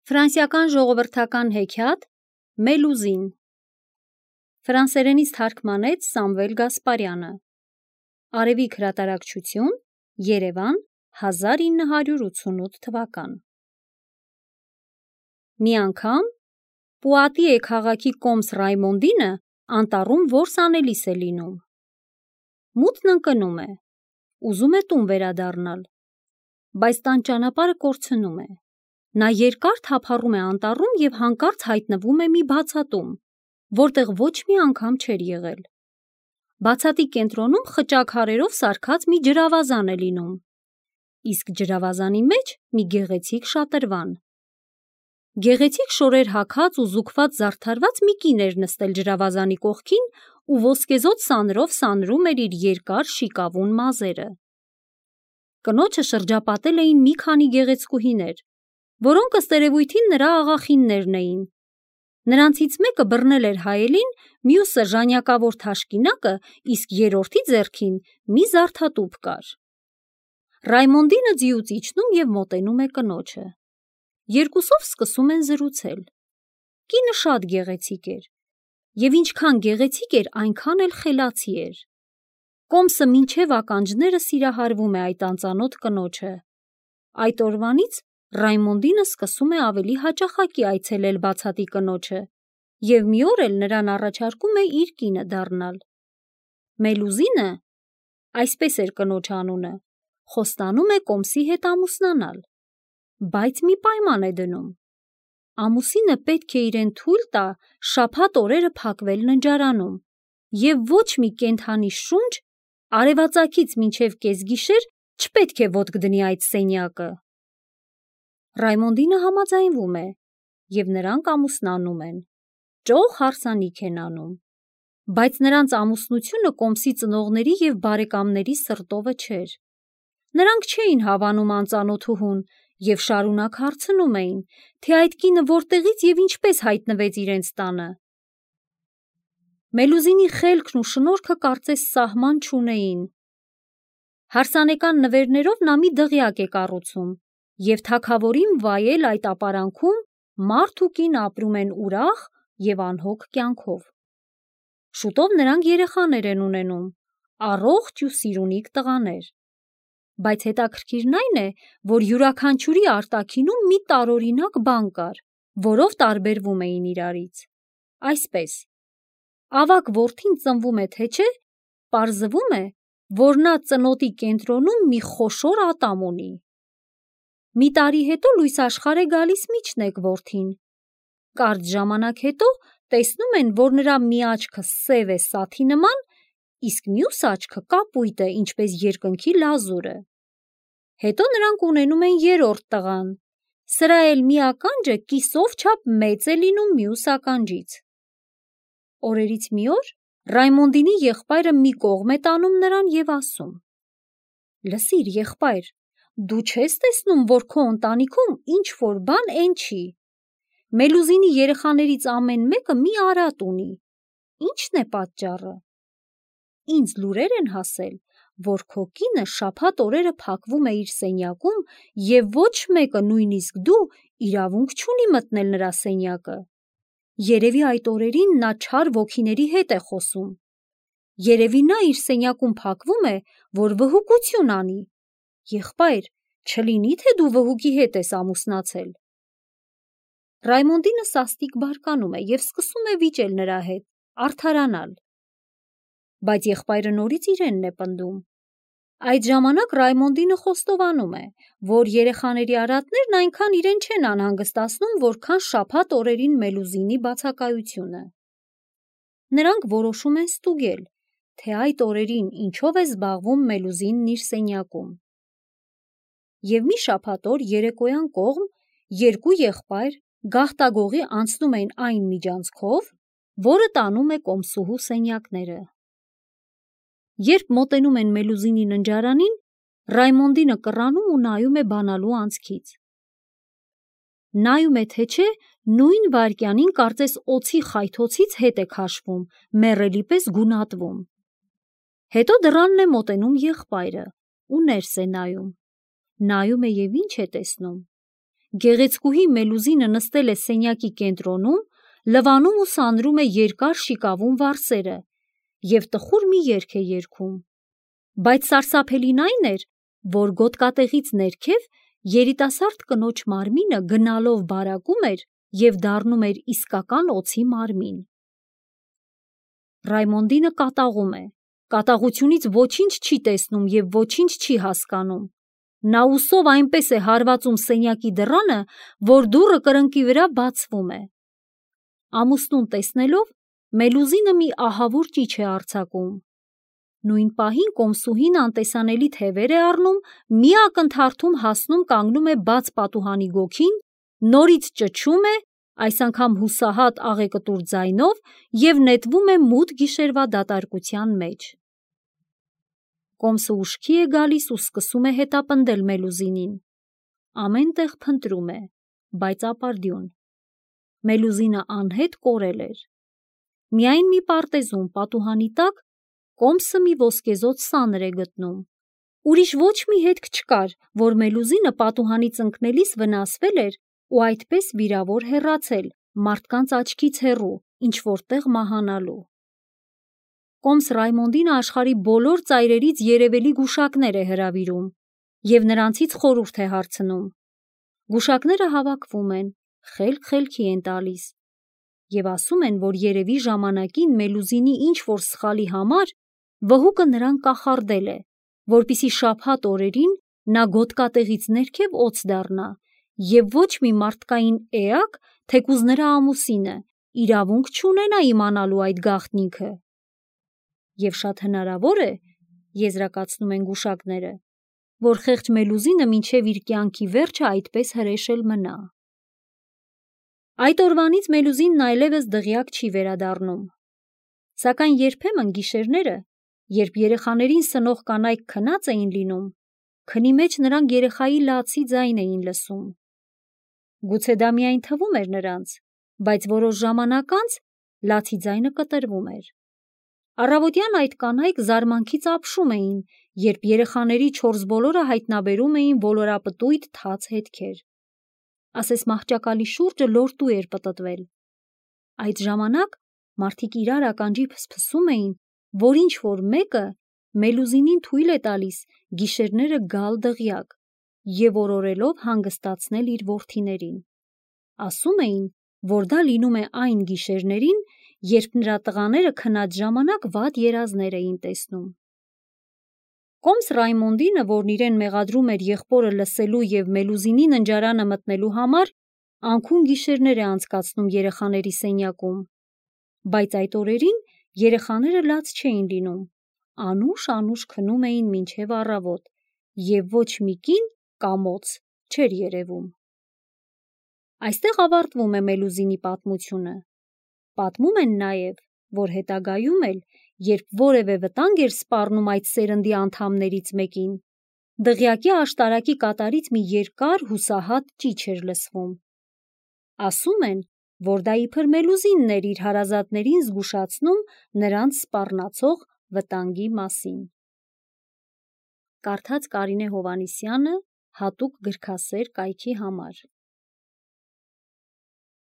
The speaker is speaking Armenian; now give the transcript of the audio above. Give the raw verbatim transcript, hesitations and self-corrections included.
Ֆրանսիական ժողովրդական հեքիաթ Մելուզին Ֆրանսերենից թարգմանեց Սամվել Գասպարյանը Արևիկ հրատարակչություն Երևան հազար ինը հարյուր ութսունութ թվական Մի անգամ Պուատիե քաղաքի կոմս Ռայմոնդինը անտառում որս անելիս է լինում Մութն ընկնում է ուզում է տուն վերադառնալ բայց տան ճանապարհը կորցնում է Նա երկար թափառում է անտառում և հանկարծ հայտնվում է մի բացատում, որտեղ ոչ մի անգամ չէր եղել։ Բացատի կենտրոնում խճակ հարերով սարքած մի ջրավազան է լինում, իսկ ջրավազանի մեջ մի գեղեցիկ շատրվան։ Գեղեցիկ շորեր հագած ու զուգված զարդարված մի կին էր նստել ջրավազանի կողքին ու ոսկեզօծ սանրով սանրում էր իր երկար շիկավուն մազերը։ Կնոջը շրջապատել էին մի քանի գեղեցկուհիներ, որոնք ըստ երևույթին նրա աղախիններն էին։ Նրանցից մեկը բռնել էր հայելին, մյուսը ժանյակավոր թաշկինակը, իսկ երրորդի ձեռքին մի զարդատուփ կար։ Ռայմոնդինը ձիուց իջնում և մոտենում է կնոջը։ Երկուսով սկսում են զրուցել։ Կինը շատ գեղեցիկ էր, և ինչքան գեղեցիկ էր, այնքան էլ խելացի էր։ Կոմսը մինչև ականջները սիրահարվում է այդ անծանոթ կնոջը։ Այդ օրվանից Ռայմոնդինը սկսում է ավելի հաճախակի այցելել բացատի կնոջը և մի օր էլ նրան առաջարկում է իր կինը դառնալ։ Մելուզինը, այսպես էր կնոջ անունը, խոստանում է կոմսի հետ ամուսնանալ, բայց մի պայման է դնում։ Ամուսինը պետք է իրեն թույլ տա շաբաթ օրերը փակվել ննջարանում և ոչ մի կենդանի շունչ արևածագից մինչև կեսգիշեր չպետք է ոտք դնի այդ սենյակը։ Ռայմոնդինը համաձայնվում է, և նրանք ամուսնանում են, ճոխ հարսանիք են անում, բայց նրանց ամուսնությունը կոմսի ծնողների և բարեկամների սրտովը չէր։ Նրանք չէին հավանում անծանոթուհուն և շարունակ հարցնում էին, թե այդ կինը որտեղից և ինչպես հայտնվեց իրենց տանը։ Մելուզինի խելքն ու շնորհքը կարծես սահման չունեին։ Հարսանեկան նվերներով նա մի դղյակ է կառուցում, և թագավորին վայել այդ ապարանքում մարդ ու կին ապրում են ուրախ և անհոգ կյանքով։ Շուտով նրանք երեխաներ են ունենում, առողջ ու սիրունիկ տղաներ։ Բայց հետաքրքիրն այն է, որ յուրաքանչյուրի արտաքինում մի տարօրինակ բան կար, որով տարբերվում էին իրարից։ Այսպես, ավագ որդին ծնվում է թե չէ, պարզվում է, որ նա ծնոտի կենտրոնում մի խոշոր ատամ ունի։ Մի տարի հետո լույս աշխարհ է գալիս միջնեկ որդին։ Կարճ ժամանակ հետո տեսնում են, որ նրա մի աչքը սև է սաթի նման, իսկ մյուս աչքը կապույտ է, ինչպես երկնքի լազուրը։ Հետո նրանք ունենում են երրորդ տղան, սրա էլ մի ականջը կիսով չափ մեծ է լինում մյուս ականջից։ Օրերից մի օր Ռայմոնդինի եղբայրը մի կողմ է տանում նրան և ասում. «Լսիր, եղբայր, դու չես տեսնում, որ քո ընտանիքում ինչ-որ բան էն չի։ Մելուզինի երեխաներից ամեն մեկը մի արատ ունի։ Ի՞նչն է պատճառը։ Ինձ լուրեր են հասել, որ քո կինը շաբաթ օրերը փակվում է իր սենյակում և ոչ մեկը, նույնիսկ դու, իրավունք չունի մտնել նրա սենյակը։ Երևի այդ օրերին նա չար ոգիների հետ է խոսում։ Երևի նա իր սենյակում փակվում է, որ վհուկություն անի։ Եղբայր, չլինի, թե դու վհուկի հետ ես ամուսնացել»։ Ռայմոնդինը սաստիկ բարկանում է և սկսում է վիճել նրա հետ, արդարանալ։ Բայց եղբայրը նորից իրենն է պնդում։ Այդ ժամանակ Ռայմոնդինը խոստովանում է, որ երեխաների արատներն այնքան իրեն չեն անհանգստացնում, որքան շաբաթ օրերին Մելուզինի բացակայությունը։ Նրանք որոշում են ստուգել, թե այդ օրերին ինչով է զբաղվում Մելուզինն իր սենյակում։ Եվ մի շաբաթ օր երեկոյան կողմ երկու եղբայր գաղտագողի անցնում էին այն միջանցքով, որը տանում է կոմսուհու սենյակները։ Երբ մոտենում են Մելուզինի ննջարանին, Ռայմոնդինը կռանում ու նայում է բանալու անցքից։ Նայում է թե չէ, նույն վայրկյանին կարծես օձի խայթոցից հետ է քաշվում, մեռելի պես գունատվում։ Հետո դռանն է մոտենում եղբայրը ու ներս է նայում։ Նայում է և ինչ է տեսնում։ գեղեցկուհի Մելուզինը նստել է սենյակի կենտրոնում, լվանում ու սանրում է երկար շիկավուն վարսերը և տխուր մի երգ է երգում։ Բայց սարսափելին այն էր, որ գոտկատեղից ներքև երիտասարդ կնոջ մարմինը գնալով բարակում էր և դառնում էր իսկական օձի մարմին։ Ռայմոնդինը կատաղում է, կատաղությունից ոչինչ չի տեսնում և ոչինչ չի հասկանում։ Նա ուսով այնպես է հարվածում սենյակի դռանը, որ դուռը կրկնակի վրա բացվում է։ Ամուսնուն տեսնելով Մելուզինը մի ահավոր ճիչ է արձակում։ Նույն պահին կոմսուհին անտեսանելի թևեր է առնում, մի ակնթարթում հասնում կանգնում է բաց պատուհանի գոգին, նորից ճչում է, այս անգամ հուսահատ աղեկտուր ձայնով և նետվում է մութ գիշերվա դատարկության մեջ։ Կոմսը ուշքի է գալիս ու սկսում է հետապնդել Մելուզինին։ Ամեն տեղ փնտրում է, բայց ապարդյուն։ Մելուզինը անհետ կորել էր։ Միայն մի պարտեզում պատուհանի տակ կոմսը մի ոսկեզօծ սանր է գտնում։ Ուրիշ ոչ մի հետք չկար, որ Մելուզինը պատուհանից ընկնելիս վնասվել էր ու այդպես վիրավոր հեռացել, մարդկանց աչքից հեռու, ինչ-որ տեղ մահանալու։ Կոմս Ռայմոնդինը աշխարհի բոլոր ծայրերից երևելի գուշակներ է հրավիրում և նրանցից խորհուրդ է հարցնում։ Գուշակները հավաքվում են, խելք խելքի են տալիս և ասում են, որ երևի ժամանակին Մելուզինի ինչ-որ սխալի համար վհուկը նրան կախարդել է, որպեսզի շաբաթ օրերին նա գոտկատեղից ներքև օձ դառնա և ոչ մի մարդկային էակ, թեկուզ նրա ամուսինը, իրավունք չունենա իմանալու այդ գաղտնիքը։ Եվ շատ հնարավոր է, եզրակացնում են գուշակները, որ խեղճ Մելուզինը մինչև իր կյանքի վերջը այդպես հրեշել մնա։ Այդ օրվանից Մելուզինն այլևս դղյակ չի վերադառնում։ Սակայն երբեմն գիշերները, երբ երեխաներին սնող կանայք քնած էին լինում, քնի մեջ նրանք երեխայի լացի ձայն էին լսում։ Գուցե դա միայն թվում էր նրանց, բայց որոշ ժամանակ անց լացի ձայնը կտրվում էր։ Առավոտյան այդ կանայք զարմանքից ապշում էին, երբ երեխաների չորս բոլորը հայտնաբերում էին ոլորապտույտ թաց հետքեր։ Ասես մահճակալի շուրջը լորտու էր պտտվել։ Այդ ժամանակ մարդիկ իրար ականջի փսփսում էին, որ ինչ-որ մեկը Մելուզինին թույլ է տալիս գիշերները գալ դղյակ և օրորելով հանգստացնել իր որդիներին։ Ասում էին, որ դա լինում է այն գիշերներին, երբ նրա տղաները քնած ժամանակ վատ երազներ էին տեսնում։ Կոմս Ռայմոնդինը, որն իրեն մեղադրում էր եղբորը լսելու և Մելուզինի ննջարանը մտնելու համար, անքուն գիշերներ է անցկացնում երեխաների սենյակում։ Բայց այդ օրերին երեխաները լաց չէին լինում, անուշ-անուշ քնում էին մինչև առավոտ և ոչ մի կին կամ օձ չէր երևում։ Այստեղ ավարտվում է Մելուզինի պատմությունը։ Պատմում են նաև, որ հետագայում էլ, երբ որևէ վտանգ էր սպառնում այդ սերնդի անդամներից մեկին, դղյակի աշտարակի կատարից մի երկար հուսահատ ճիչ էր լսվում։ Ասում են, որ դա իբր Մելուզինն էր իր հարազատներին զգուշացնում նրանց սպառնացող վտանգի մասին։ Կարդաց Կարինե Հովհաննիսյանը հատուկ գրքասեր կայքի համար։